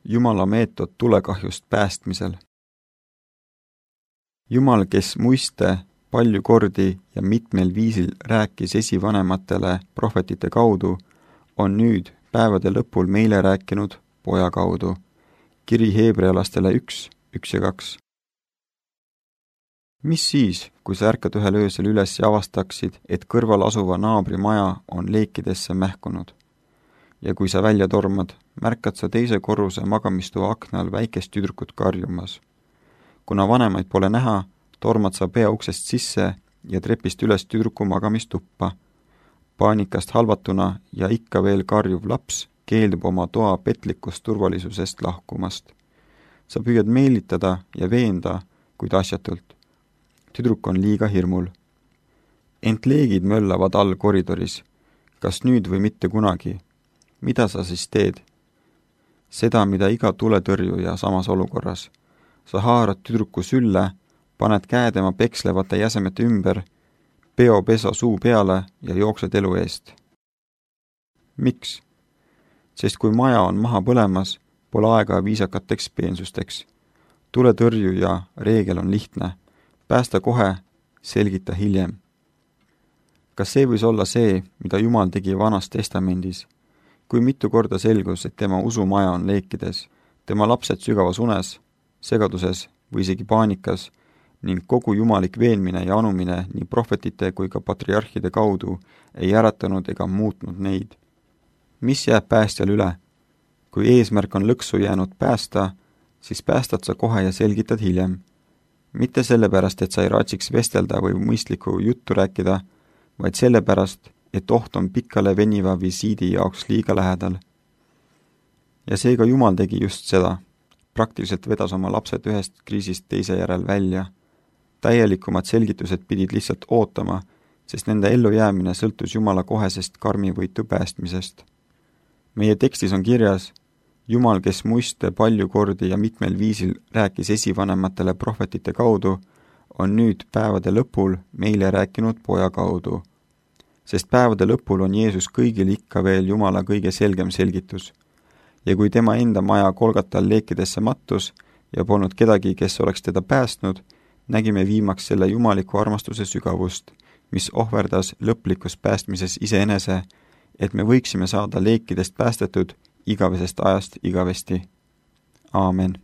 Jumala meetod tulekahjust päästmisel. Jumal, kes muiste palju kordi ja mitmel viisil rääkis esivanematele prohvetite kaudu, on nüüd päevade lõpul meile rääkinud Poja kaudu. Kiri Heebrealastele 1, 1 ja 2. Mis siis, kui sa ärkad ühel öösel üles ja avastaksid, et kõrval asuva naabri maja on leekidesse mähkunud? Ja kui sa välja tormad, märkad sa teise korruse magamistoa aknal väikest tüdrukut karjumas. Kuna vanemaid pole näha, tormad sa pea uksest sisse ja trepist üles tüdruku magamistuppa. Paanikast halvatuna ja ikka veel karjuv laps keeldub oma toa petlikust turvalisusest lahkumast. Sa püüad meelitada ja veenda, kuid asjatult. Tüdruk on liiga hirmul. Ent leegid möllavad all koridoris. Kas nüüd või mitte kunagi? Mida sa siis teed? Seda, mida iga tuletõrjuja samas olukorras. Sa haarad tüdruku sülle, paned käe tema pekslevate jäsemete ümber, peopesa suu peale ja jooksed elu eest. Miks? Sest kui maja on maha põlemas, pole aega viisakateks peensusteks. Tuletõrjuja reegel on lihtne. Päästa kohe, selgita hiljem. Kas see võis olla see, mida Jumal tegi Vanas Testamendis? Kui mitu korda selgus, et tema usumaja on leekides, tema lapsed sügavas unes, segaduses või isegi paanikas ning kogu jumalik veenmine ja anumine nii prohvetite kui ka patriarhide kaudu ei äratanud ega muutnud neid. Mis jääb päästjal üle? Kui eesmärk on lõksu jäänud päästa, siis päästad sa kohe ja selgitad hiljem. Mitte sellepärast, et sa ei raatsiks vestelda või mõistlikku juttu rääkida, vaid sellepärast, et oht on pikale veniva visiidi jaoks liiga lähedal. Ja seega Jumal tegi just seda. Praktiliselt vedas oma lapsed ühest kriisist teise järel välja. Täielikumad selgitused pidid lihtsalt ootama, sest nende ellujäämine sõltus Jumala kohesest karmivõitu päästmisest. Meie tekstis on kirjas, Jumal, kes muiste palju kordi ja mitmel viisil rääkis esivanematele prohvetite kaudu, on nüüd päevade lõpul meile rääkinud Poja kaudu. Sest päevade lõpul on Jeesus kõigil ikka veel Jumala kõige selgem selgitus. Ja kui tema enda maja Golgatal leekidesse mattus ja polnud kedagi, kes oleks teda päästnud, nägime viimaks selle jumaliku armastuse sügavust, mis ohverdas lõplikus päästmises iseenese, et me võiksime saada leekidest päästetud igavesest ajast igavesti. Aamen.